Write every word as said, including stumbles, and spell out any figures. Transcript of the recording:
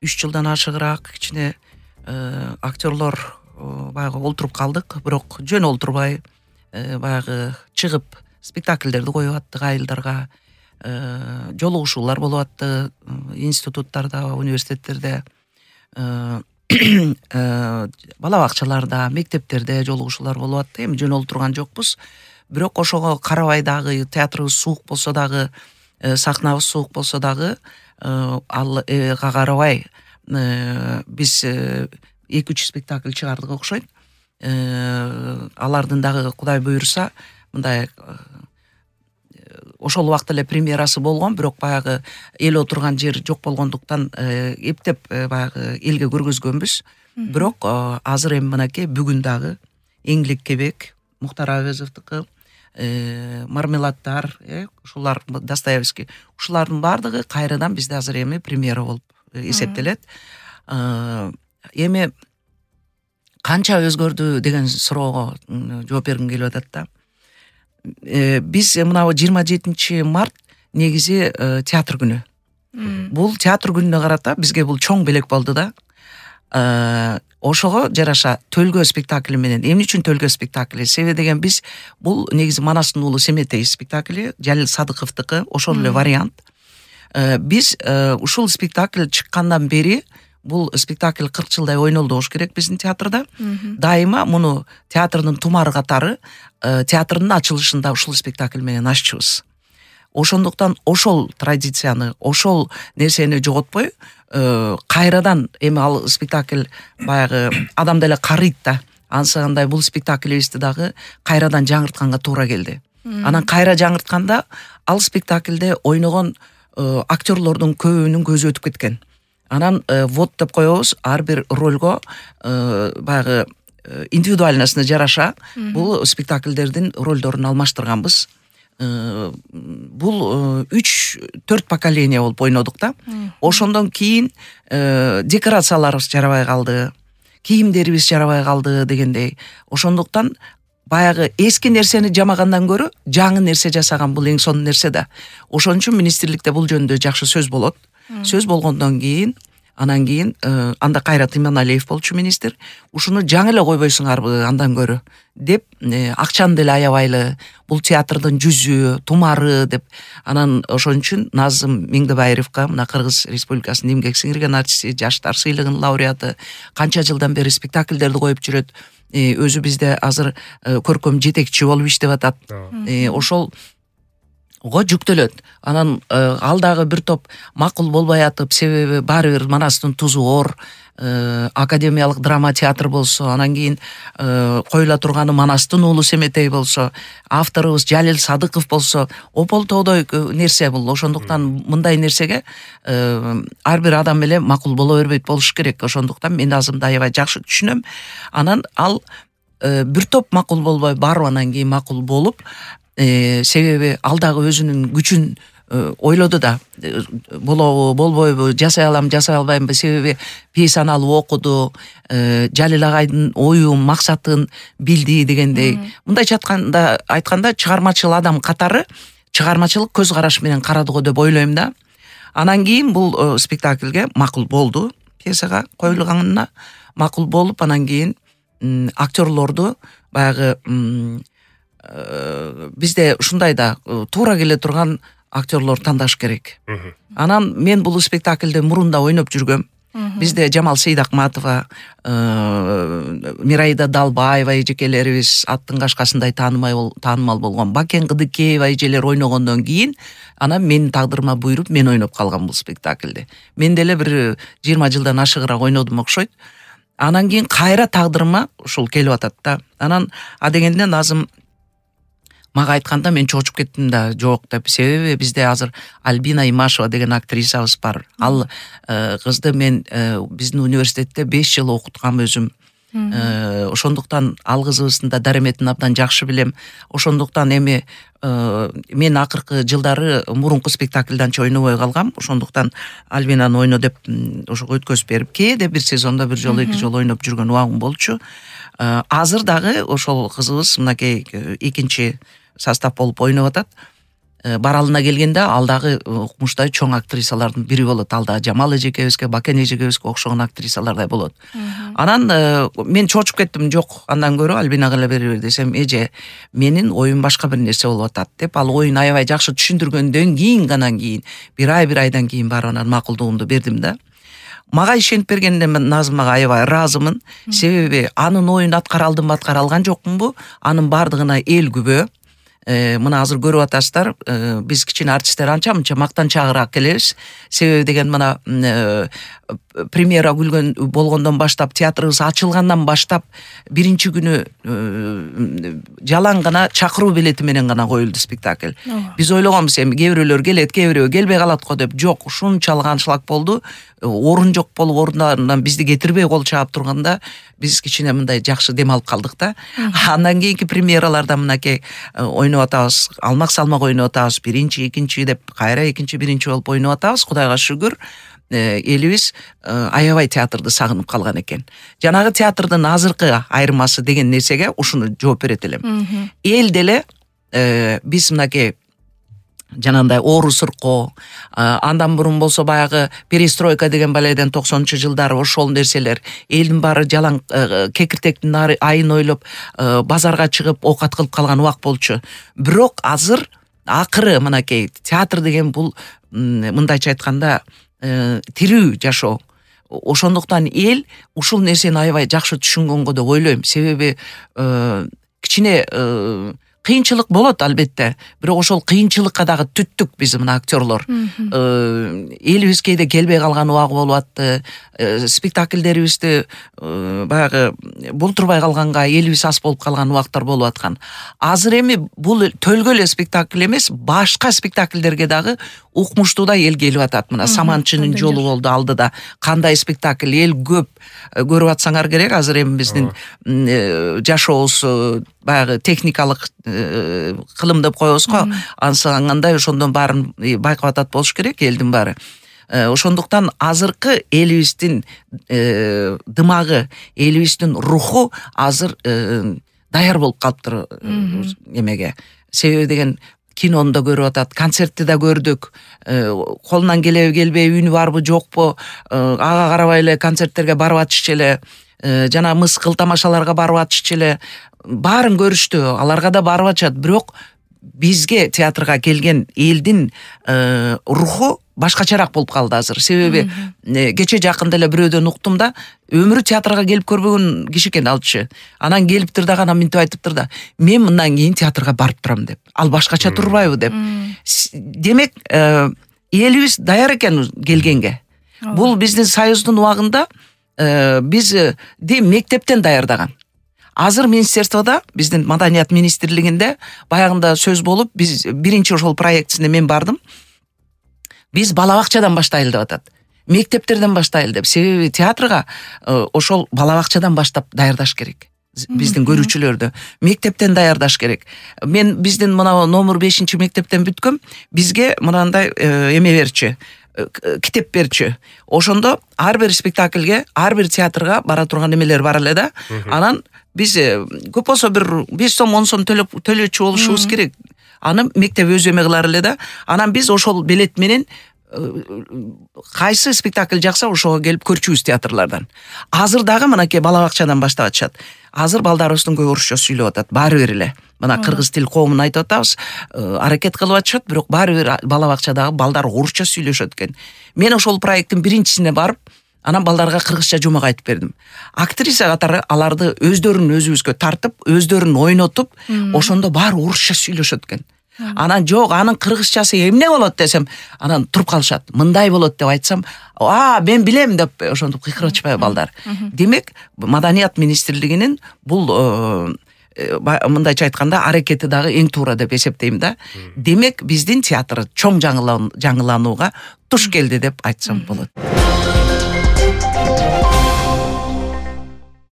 үч жылдан ашыгыраак кичине актерлор баягы олтуруп калдык, бирок жөн олтурбай баягы чыгып спектакльдерди коюп аттык айылдарга, жолугушуулар болуп атты институттарда, университеттерде, бала бакчаларда, мектептерде жолугушуулар болуп атты. Эми жөн олтурган жокпуз. Бирок ошого карабай дагы театрыбыз суук болсо дагы, сахнабыз суук болсо дагы, алга карабай биз эки үч спектакль чыгардык окшойт. Алардын дагы Кудай буйруса, мындай ошол убакта эле премьерасы болгон, бирок баягы эл отурган жер жок болгондуктан эптеп баягы элге көргөзгөнбүз. Бирок азыр эми мынакей бүгүн дагы Эңлик Кебек, Мухтар Авезовдуку, Мармеладдар, ушулар Достоевский, ушулардын баардыгы кайрадан бизде азыр эми премьера болуп эсептелет. Эми канча өзгөрдү деген суроого жооп бергим келип атат да. Биз мына жыйырма жетинчи март негизи театр күнү. Бул театр күнүнө карата бизге бул чоң белек болду да. Ошого жараша Төлгө спектакли менен, эмне үчүн Төлгө спектакли? Себеби деген биз бул негизи Манастын уулу Семетей спектакли, Жалил Садыковдуку, ошол эле вариант. Биз ушул спектакль чыккандан бери, бул спектакль кырк жылдай ойнолду болуш керек биздин театрда. Дайыма муну театрдын тумары катары театрдын ачылышында ушул спектакль менен аччубуз. Ошондуктан ошол традицияны, ошол нерсени жоготпой, кайрадан эми ал спектакль баягы адам деле карыйт да. Ансагандай бул спектаклибизди дагы кайрадан жаңыртканга туура келди. Анан кайра жаңыртканда ал спектакльде ойногон актерлордун көбүнүн көзү өтүп кеткен. Анан вот деп коебуз, ар бир ролго баягы индивидуальностуна жараша бул спектакльдердин ролдорун алмаштырганбыз. Бул үч төрт поколение болуп ойнодук да. Ошондон кийин декорацияларыбыз жарабай калды, кийимдерибиз жарабай калды дегендей. Ошондуктан баягы эски нерсени жамагандан көрө жаңы нерсе жасаган бул эң сонун нерсе да. Ошон үчүн министрликте бул жөнүндө жакшы сөз болот. Сөз болгондон кийин, анан кийин анда Кайрат Иманалиев болчу министр, ушуну жаңы эле койбойсуңарбы андан көрө деп, акчаны деле аябайлы, бул театрдын жүзү, тумары деп. Анан ошон үчүн Назым Меңдебайровго, мына Кыргыз Республикасынын эмгек сиңирген артисти, жаштар сыйлыгынын лауреаты, канча жылдан бери спектакльдерди коюп жүрөт. Өзү бизде азыр көркөм жетекчи болуп иштеп атат. Ошол ого жүктөлөт. Анан ал дагы бир топ макул болбой атып, себеби баары бир Манастын тузу оор, академиялык драма театр болсо, анан кийин коюла турганы Манастын уулу Семетей болсо, авторубуз Жалил Садыков болсо, ополтоодой нерсе бул. Ошондуктан мындай нерсеге ар бир адам эле макул боло бербейт болуш керек. Ошондуктан мен азымды аябай жакшы түшүнөм. Анан ал бир топ макул болбой, барып анан кийин макул болуп, себеби ал дагы өзүнүн күчүн ойлоду да, болобу, болбойбу, жасай алам, жасай албаймбы, себеби пьесаны алып окуду, Жалил агайдын оюн, максатын билди дегендей. Мындайча айтканда, айтканда чыгармачыл адам катары чыгармачылык көз караш менен карады го деп ойлойм да. Анан кийин бул спектакльге макул болду, пьесага коюлганына макул болуп, анан кийин актерлорду баягы бизде ушундай да туура келе турган актерлор тандаш керек. Анан мен бул спектакльде мурунда ойноп жүргөм. Бизде Жамал Сейдакматова, Мираида Далбаева эжекелерибиз аттын кашкасындай таанымал болгон, Бакен Кыдыкеева эжелер ойногондон кийин, анан менин тагдырыма буйруп мен ойноп калгам бул спектакльде. Мен деле бир жыйырма жылдан ашыгыраак ойнодум окшойт. Анан кийин кайра тагдырыма ушул келип атат да. Анан а дегенде Назым мага айтканда мен чочуп кеттим да, жок деп. Себеби бизде азыр Альбина Имашева деген актрисабыз бар. Ал кызды мен биздин университетте беш жыл окуткам өзүм. Ошондуктан ал кызыбыздын да дареметин абдан жакшы билем. Ошондуктан эми мен акыркы жылдары мурунку спектакльдан анча ойнобой калгам. Ошондуктан Альбинаны ойно деп ошого өткөзүп берип, кээде бир сезондо бир жолу эки жолу ойноп жүргөн убагым болчу. Азыр дагы ошол кызыбыз мынакей экинчи состав болуп ойноп атат. баралына келгенде ал дагы укмуштай чоң актрисалардын бири болот. Ал дагы Жамал эжекебизге, Бакен эжекебизге окшогон актрисалардай болот. Анан мен чочуп кеттим. Жок, андан көрө Альбинага эле бере бер десем, эже, менин оюм башка бир нерсе болуп атат деп, ал оюн аябай жакшы түшүндүргөндөн кийин гана кийин бир ай бир айдан кийин барып анан макулдугумду бердим да. Мага ишенип бергенде мен Назымага аябай ыраазымын. Себеби анын оюн аткара алдымбы, аткара алган жокмунбу? Анын бардыгына эл күбө. Э, мына азыр көрүп атасыздар, э, биз кичине артисттер анча мынча мактанчагыраак келебиз. Себеби деген мына э, премьера күлгөн болгондон баштап, театрыбыз ачылгандан баштап биринчи күнү э, жалаң гана чакыруу билети менен гана коюлду спектакль. Биз ойлогонбуз эми кээ бирөөлөр келет, кээ бирөө келбей калат го деп. Жок, ушунчалык аншлаг болду. Орун жок болуп, орундарынан бизди кетирбей кол чаап турганда биз кичине мындай жакшы дем алып калдык да. Андан кийинки премьераларда мынакей ойноп атабыз, алмак салмак ойноп атабыз, биринчи, экинчи деп кайра экинчи, биринчи болуп ойноп атабыз. Кудайга шүгүр, элибиз аябай театрды сагынып калган экен. Жанагы театрдын азыркы айырмасы деген нерсеге ушуну жооп берет элем. Эл деле биз мынакей жанагындай оору сыркоо, андан мурун болсо баягы перестройка деген баледен токсонунчу жылдары ошол нерселер, элдин баары жалаң кекиртектин айын ойлоп базарга чыгып оокат кылып калган убак болчу. Бирок азыр акыры мынакей театр деген бул мындайча айтканда тирүү жашоо. Ошондуктан эл ушул нерсени аябай жакшы түшүнгөнгө деп ойлойм. Себеби кичине кыйынчылык болот албетте, бирок ошол кыйынчылыкка дагы түттүк биз мына актерлор. Элибиз кээде келбей калган убагы болуп атты. Спектакльдерибизди баягы болтурбай калганга элибиз ас болуп калган убактар болуп аткан. Азыр эми бул төлгө эле спектакль эмес, башка спектакльдерге дагы укмуштуудай эл келип атат. Мына Саманчынын жолу болду алдыда. Кандай спектакль, эл көп көрүп атсаңар керек. Азыр эми биздин жашообуз баягы техникалык кылым деп коебуз го. Ансагандай ошондон баарын байкап атат болуш керек элдин баары. Ошондуктан азыркы элибиздин дымагы, элибиздин руху азыр даяр болуп калыптыр эмеге. Себеби деген кинону да көрүп атат, концертти да көрдүк. Колунан келеби келбей, үнү барбы жокпу, ага карабай эле концерттерге барып атышчу эле, жана мыскыл тамашаларга барып атышчу эле. Баарын көрүштү, аларга да барып атышат. Бирок бизге театрга келген элдин руху башкачараак болуп калды азыр. Себеби кече жакында эле бирөөдөн уктум да, өмүрү театрга келип көрбөгөн киши экен алчы. Анан келиптир да, анан минтип айтыптыр да, мен мындан кийин театрга барып турам деп. Ал башкача турбайбы деп. Демек, элибиз даяр экен келгенге. Бул биздин союздун убагында биз мектептен даярдаган. Азыр министерствода, биздин маданият министрлигинде баягында сөз болуп, биз биринчи ошол проектисине мен бардым. Биз бала бакчадан баштайлы деп атат. Мектептерден баштайлы деп. Себеби театрга ошол бала бакчадан баштап даярдаш керек. Биздин көрүүчүлөрдү мектептен даярдаш керек. Мен биздин мына номер бешинчи мектептен бүткөм. Бизге мынандай эме берчү, китеп берчү. Ошондо ар бир спектакльге, ар бир театрга бара турган эмелер бар эле да. Анан биз көп болсо бир беш сом, он сом төлөчү болушубуз керек. Аны мектеп өз эме кылар эле да. Анан биз ошол билет менен кайсы спектакль жакса ошого келип көрчүбүз театрлардан. Азыр дагы мынакей бала бакчадан баштап атышат. Азыр балдарыбыздын көп орусча сүйлөп атат, баары бир эле. Мына кыргыз тил коомун айтып атабыз, аракет кылып атышат, бирок баары бир бала бакчадагы балдар орусча сүйлөшөт экен. Мен ошол проекттин биринчисине барып, анан балдарга кыргызча жумак айтып бердим. Актриса катары аларды өздөрүн өзүбүзгө тартып, өздөрүн ойнотуп, ошондо баары орусча сүйлөшөт экен. Анан жок, анын кыргызчасы эмне болот десем, анан туруп калышат. Мындай болот деп айтсам, а, мен билем деп ошентип кыйкырып балдар. Демек, маданият министрлигинин бул мындайча айтканда аракети дагы эң туура деп эсептейм да. Демек, биздин театр чоң жаңыланууга туш келди деп айтсам болот.